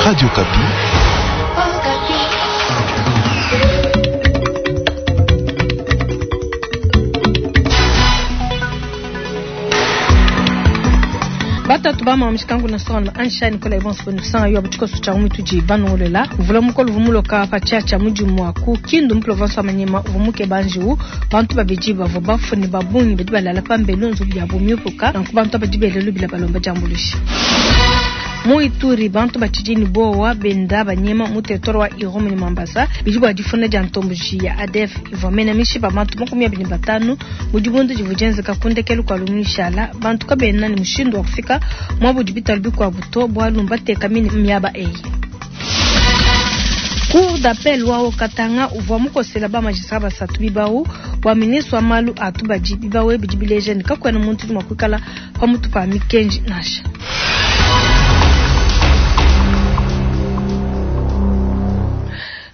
Radio Okapi. Batatu ba mishikangu na sona ansha Nicolas Evans Bonusanga yo butiko cha umituji banongolela mvula mukolo vumuloka pa chacha mujimu wa ku Kindu mu province wa Maniema uvumuke banjiu bantu babidi bavua bafune babungi badi balala pambelu nzubu ya bumyupuka nanku bantu abadi belelu bila balomba diambuluisha. Mu Ituri bantu batshidi ne bowa benda banyema mu territoire wa Irumu ne Mambasa bidi bua difunda dia ntomboji ya ADF ivua mena mishipa bantu 25 mu dibundu divua dienzeka ku ndekelu kua lumishala bantu kabena ne mushindu wa kufika muabu bitalu bikuabu to bualu mbateka mine miaba eyi. Cour d'appel wa Haut-Katanga uvua mukosela ba magistrat basatu bibau bua ministre wa malu a tubadi bibau bidi bileja ne kakuena muntu udi mua kuikala pamutu pa mikenji nansha.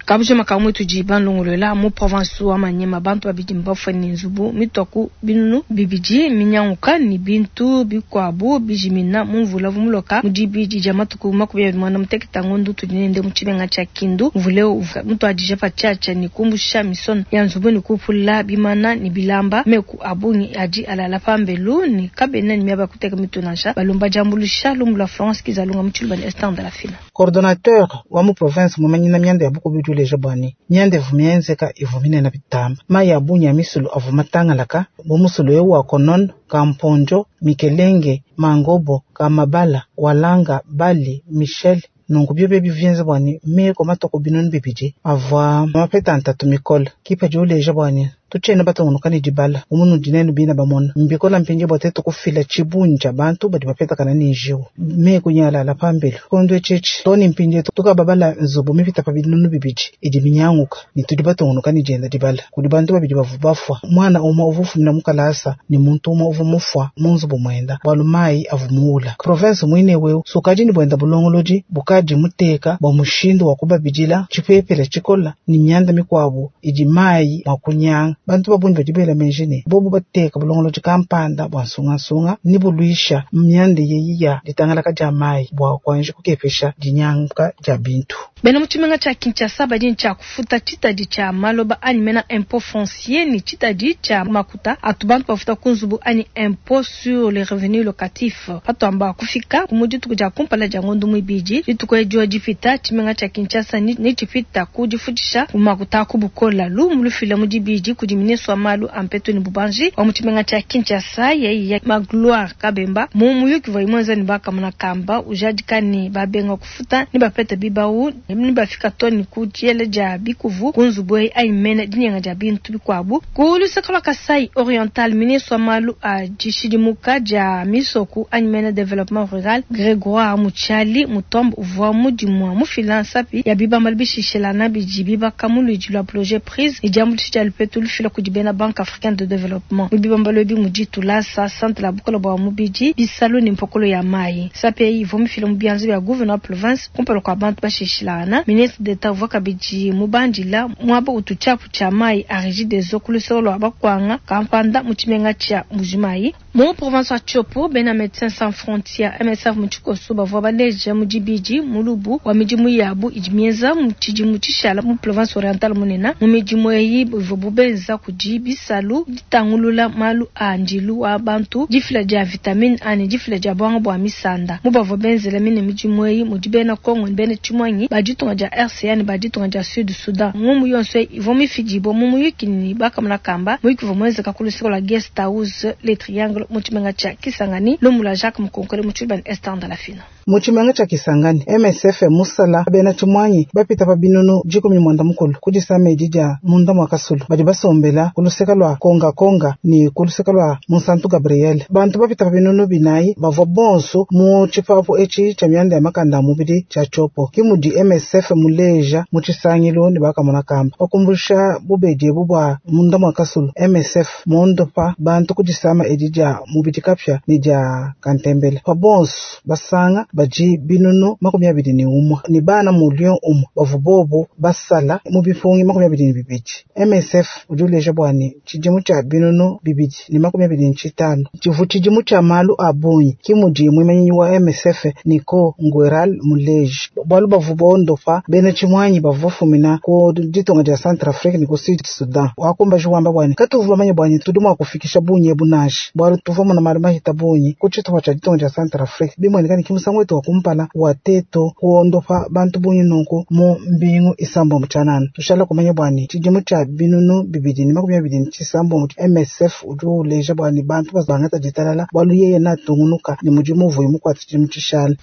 Kabuje makamwe tudi banlongolola mu province wa Maniema bantu babidi mbafue ne nzubu mituaku binunu bibidi minyanguka ne bintu bikuabu bijimina mu mvula vumuloka mu dibidi dia matuku 28 ngondo tudi nende mu tshimenga tshia Kindu. Mvula uvua mutuadije pa tshiatshia ne kumbusha misono ya nzubu ne kupula bimana ne bilamba meku abungi adi alala pambelu ne kabena ne miaba ya kuteka mitu nansha balomba diambuluisha lumu lua Florence Kizalunga mu tshiluba ne Esther Ndalafina. Coordonnateur wa mu province mumanyina mianda ya bukubi uleja bwani mianda ivu mienzeka ivu minene bitamba mayi a bungi a misulu avu matangalaka bu musulu eu wa konono kamponjo mikelenge mangobo kamabala walanga bali michel nunku biobi ebi vienza bwani meko matoko binunu bibidi avua mapeta ntatu mikole kipa di uleja bwani tutshiena batungunuka ne dibala umunu dinene bina bamona mbikola mpindieu bua tetu kufila tshibungi tshia bantu badi bapetakana ne njiwu meku nyalala pambelu kondo etshitshi too ne mpindieu tukababala nzubu mipita pa binunu bibidi idi minyanguka ne tudi batungunuka ne dienda dibala kudi bantu babidi bavua bafua mwana umue uvua ufumina mu kalasa ne muntu umue uvua mufua mu nzubu muenda bualu mayi avua muula province muine weu sukadi ne buenda bulongolodi bukadi muteka bua mushindu wa kubabidila tshipepele tshikola ne mianda mikuabu idi mayi mua kunyanga. Bantu babungi badi bela meji ne bobu bateka bulongolodi kampanda bua nsungasunga ne buluisha mianda yeyi ya ditangalaka dia mayi bua kuanji kukepesha dinyanguka dia bintu. Bena mu tshimenga tshia Kinshasa badi ne tshia kufuta tshitadi tshia maloba anyi mena impôt foncier ne tshitadi tshia makuta atu bantu bafuta ku nzubu anyi impôt sur les revenus locatifs. Patuamba kufika mu dituku dia kumpala dia ngondo muibidi dituku edio dipita tshimenga tshia Kinshasa ne tshipita ku difutisha ku makuta ku bukola lumu lufila mu dibidi kudi ministre wa malu a mpetu ne bubanji wa mu tshimenga tshia Kinshasa yeyi ya Magloire Kabemba mu muyuki wa imwenza ne bakamona kamba ujadika ne babenga kufuta ne bapeta bibau ne bafika to ne ku diela dia bikuvu ku nzubu eyi anyi mene dinyenga dia bintu bikuabu. Ku luseke lua Kasai Oriental, ministre wa malu a dishidimuka dia misoku anyi mene développement rural Grégoire Mutshiali Mutombo uvua mudimu wa mufila nsapi ya bibambalu bishishelana bidi bibaka mu luidi lua projet prise ne diambuluisha dia lupetu lufila kudi bena Banque africaine de développement. Mu bibambalu ebi mudi tulasa centre la bukola bua mubidi bisalu ne mpokolo ya mayi. Nsapi eyi ivua mifila mu bianza bia gouverneur province kumpala kua bantu bashishilana. Ministre d'État uvua kabidi mubandila muaba utu tshiapu tshia mayi a Regideso ku luseke lua bakwanga kampanda mu tshimenga tshia Mbujimayi. Mu province wa Tshopo, bena Médecins Sans Frontières MSF mu tshikoso bavua baleja mu dibidi mulubu wa midimu yabu idi mienza mu tshidimu tshishala mu province orientale munene. Mu midimu eyi ivua bubenza kudi bisalu ditangulula malu a ndilu wa bantu, difila dia vitamine A ne difila dia buanga bua misanda. Mu bavua benzela mine midimu eyi mudi bena Congo ne bena Tshimuangi ba ditunga dia RCA ne ba ditunga dia Sud Soudan. Ngumu yonso eyi ivua mifidibua mu muyuki ne bakamona kamba muyuki uvua muenzeka ku luseke lua Guest House Le Triangle mu tshimenga tshia Kisangani. Lumu lua Jacques Mukonkole mu tshiluba ne Esther Ndalafina. Mu tshimenga tshia Kisangani, MSF musala bena Tshimuangi bapita pa binunu 14 ku disama edi dia munda mua kasulu badi basombela ku luseke lua Konga Konga ne ku luseke lua Munsantu Gabriel. Bantu bapita pa binunu 4 bavua bonso mu tshipapu etshi tshia mianda ya makanda a mubidi tshia Tshopo. Ke mudi MSF muleja mu tshisangilu ne bakamona kamba bakumbusha bubedi ebu bua munda mua kasulu. MSF mondopa bantu ku disama edi dia mubidi kapia ne dia kantembele pa bonso basanga. badi binunu 21 ne bana mulio umwe bavua bobo basala mu bipungi 22. MSF udi uleja bua ne tshidimu tshia 2025 tshivu tshidimu tshia malu a bungi ke mudi muimanyi wa MSF Nico Ngueral muleji bualu bavua bondopa bena tshimuanyi bavua bafumina ku ditunga dia Centrafrique ne ku Sud Sudan. Wakumbaji wamba bua ne katuvua bamanye bua ne tudi mua kufikisha bungi ebu nansha bualu tuvua muna malu mahita bungi ku tshitupa tshia ditunga dia Centrafrique bimueneka ne kimusangu wetu wa kumpala wa teto kuondopa bantu bungi nunku mu mbingu isambombo tshianana. Tushala kumanya bua ne tshidimu tshia 2026 MSF udi uleja bua ne bantu bangata ditalala bualu yeye natungunuka ne mudimu uvuye mukuata tshidimu tshishala.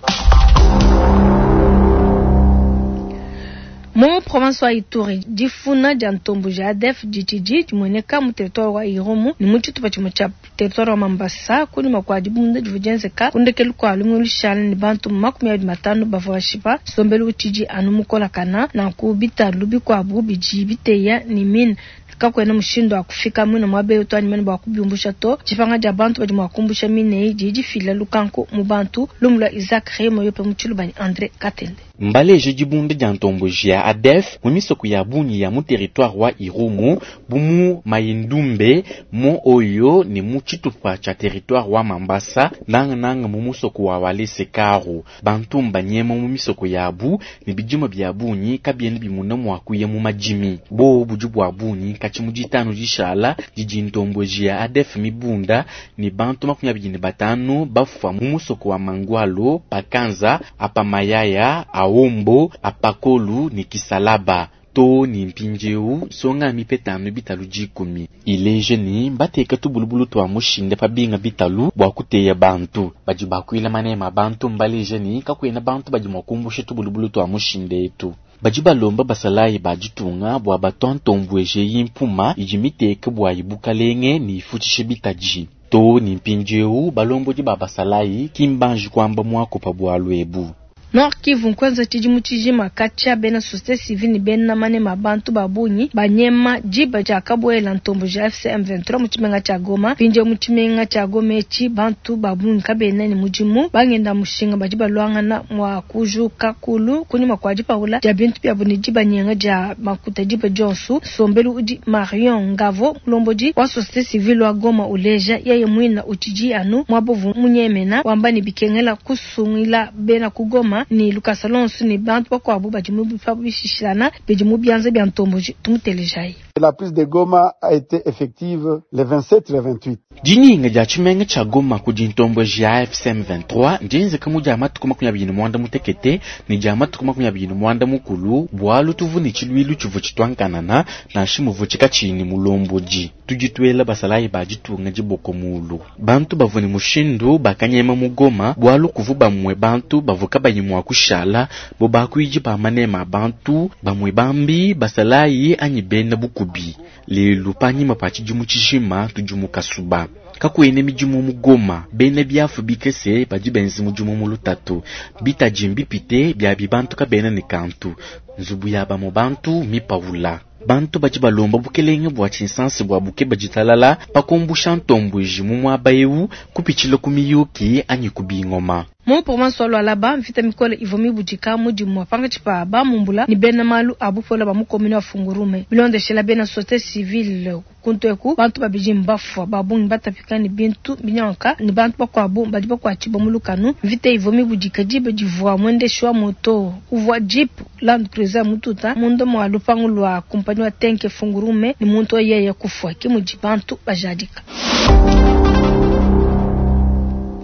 Mu province wa Ituri, difuna dia ntombo ja ADF ditshidi dimueneka mu territoire wa Irumu ne mu tshitupa tshimue tshia territoire wa Mambasa kunyima kua dibunda divua dienzeka ku ndekelu kua lumingu lushala ne bantu 25 bavua bashipa. Nsombelu utshidi anu mukolakana nanku bitalu bikuabu bidi biteya ne mine kakuena mushindu wa kufika muine muaba eu to anyi mene bua kubiumbusha to. Dipanga dia bantu badi mua kumbusha mine eyi didi difila lukanku mu bantu. Lumu lua Isaac Remo yope mu Tshiluba ne André Katende. Mbaleje dibunda dia ntomboji ya ADF mu misoko ya bungi ya mu territoire wa Irumu bu mu Mayindumbe mu Oyo ne mu tshitupa tshia territoire wa Mambasa nanga nanga mu musoko wa Walese Karu. Bantu mbanyema mu misoko yabu ne bidima bia bungi kabiena bimuna mua kuya mu madimi. Bo budi bua bungi katshi mu ditanu dishala didi ntomboji ya ADF mibunda ne bantu 25 bafua mu musoko wa Mangwalo, Pakanza, Apamayaya, Aombo, Apakolu ne Kisalaba. To ni mpindieu songa mipetano bitalu dikumi ileje ni bateka tubulubulu twa mushinde pa binga bitalu bua kuteya bantu badi bakuila manema bantu mbaleje ni kakuena bantu badi mua kumbusha tubulubulu twa mushinde etu badi balomba basalayi ba ditunga bua batontombweje yimpuma idi miteke bua ibukalenge ni ifutshishe bitaji to ni mpindieu balombodi ba basalayi kimbanji kuamba muakopa bualu ebu. Nord Kivu nkwenza tshidimu tshijima katshia bena société civile ne bena manema bantu ba bungi banyema diba dia kabuela ntombo ja AFC M23 mu tshimenga tshia Goma. Mpindieu mu tshimenga tshia Goma etshi bantu ba bungi kabena ne mudimu bangenda mushinga badi baluangana mua kujuka kulu kunyima kua dipawula dia bintu biabu ne dibanyenga dia makuta diba dionso. Nsombelu udi Marion Ngavo mulombodi wa société civile wa Goma uleja yeye muina utshidi anu muabovu munyemena wamba ne bikengela kusungila bena ku Goma ni Lucas Alonso ni bantu bakuabu badi mu bishishilana bidi mu bianza bia ntomboji tumutelejayi. La prise de Goma a été effective le 27 et le 28. Dininga dia tshimenga tshia Goma kudi ntomboji ya AFC M23 ndienzeka mu dia matuku 28 ne dia matuku 29 bualu tuvu ne tshiluilu tshivu tshituankanana nansha muvu tshikatshini mulomboji. Tudi tuela basalayi ba ditunga diboko mulu. Bantu bavua ne mushindu bakanyema mu Goma bualu kuvu bamwe bantu bavua kabayi mua kushala bo bakuidi ba manema bantu bamwe bambi basalayi anyi bena bukubi. Lelu panyima pa tshidimu tshijima tudi mu kasuba. Kakuena midimu mu Goma, bena biafu bikese badi benza mudimu mu lutatu. Bitaji mbipite bia bibantu kabena ne kantu. Nzubu ya bamwe bantu mipawula. Bantu badi balomba bukelenge bua tshinsansi bua buke baditalala pakumbusha ntombweji mu muaba eu kupitshila ku miyuki anyi ku bingoma. Mu province wa Lualaba mvita mikole ivua mibudika mudimu wa pankatshi pa bamumbula ne bena malu a bupola ba mu commune wa Fungurume. Bilondeshela bena société civile kuntu eku bantu babidi mbafua ba bungi batapika ne bintu binyanka ne bantu bakuabu badi bakuatshibua mu lukanu. Mvita ivua mibudika diba divua mwendeshi wa moto uvua jeep Land Cruiser mututa munda mua lupangu lua kumpanyi wa Tenke Fungurume ne muntu yeye kufua ke mudi bantu bajadika.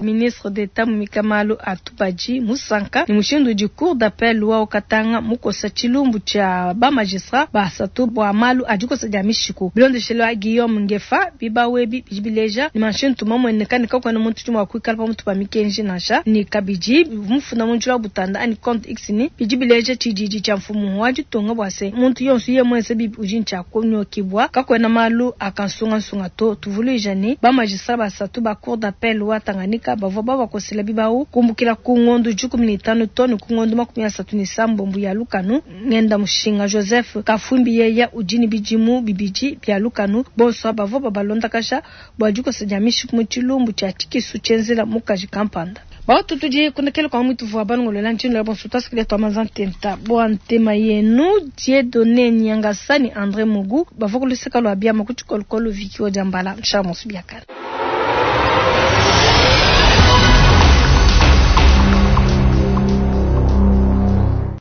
Ministre d'État Mumika Malu Atubaji Musanka ni mushindu udi cour d'appel wa Okatanga mukosa tshilumbu tshia ba magistrat basatu bua malu a dikosa dia mishiku. Bilondeshelo wa Guillaume Ngefa bibawebi bidi bileja ni manshintu mamueneka ne kakuena muntu udi mua kuikala pamutu pa mikenji nansha ni kabidi mufunda mu njila wa butanda ani compte X ni bidi bileja tshididi tshia mfumu wa ditunga bua se muntu yonso ye muenze bibi udi ntshia kunyokibwa kakuena malu akansungansunga to. Tuvuluija ni ba magistrat basatu ba cour d'appel wa Tanganyika bavua babakosela bibau kumbukila ku ngondo 15 toni ku ngondo 37 ya lukanu. Ngenda mushinga Joseph Kafumbi yeya udi ne bidimu bibidi bia lukanu bonso bavua babalondakasha bua dikosa dia mishiku mu tshilumbu tshia tshikisu tshienzela mukaji kampanda. Bautu tudi kundekela kwa mwitu vua balongolola ntshino ya bonso twasikilia twa manza ntenta bua ntema yenu Dieudonné Nyangasani André Mugu bavua kuluseka lua biama ku tshikolokolo Vicky Odiambala nshamusu biakala.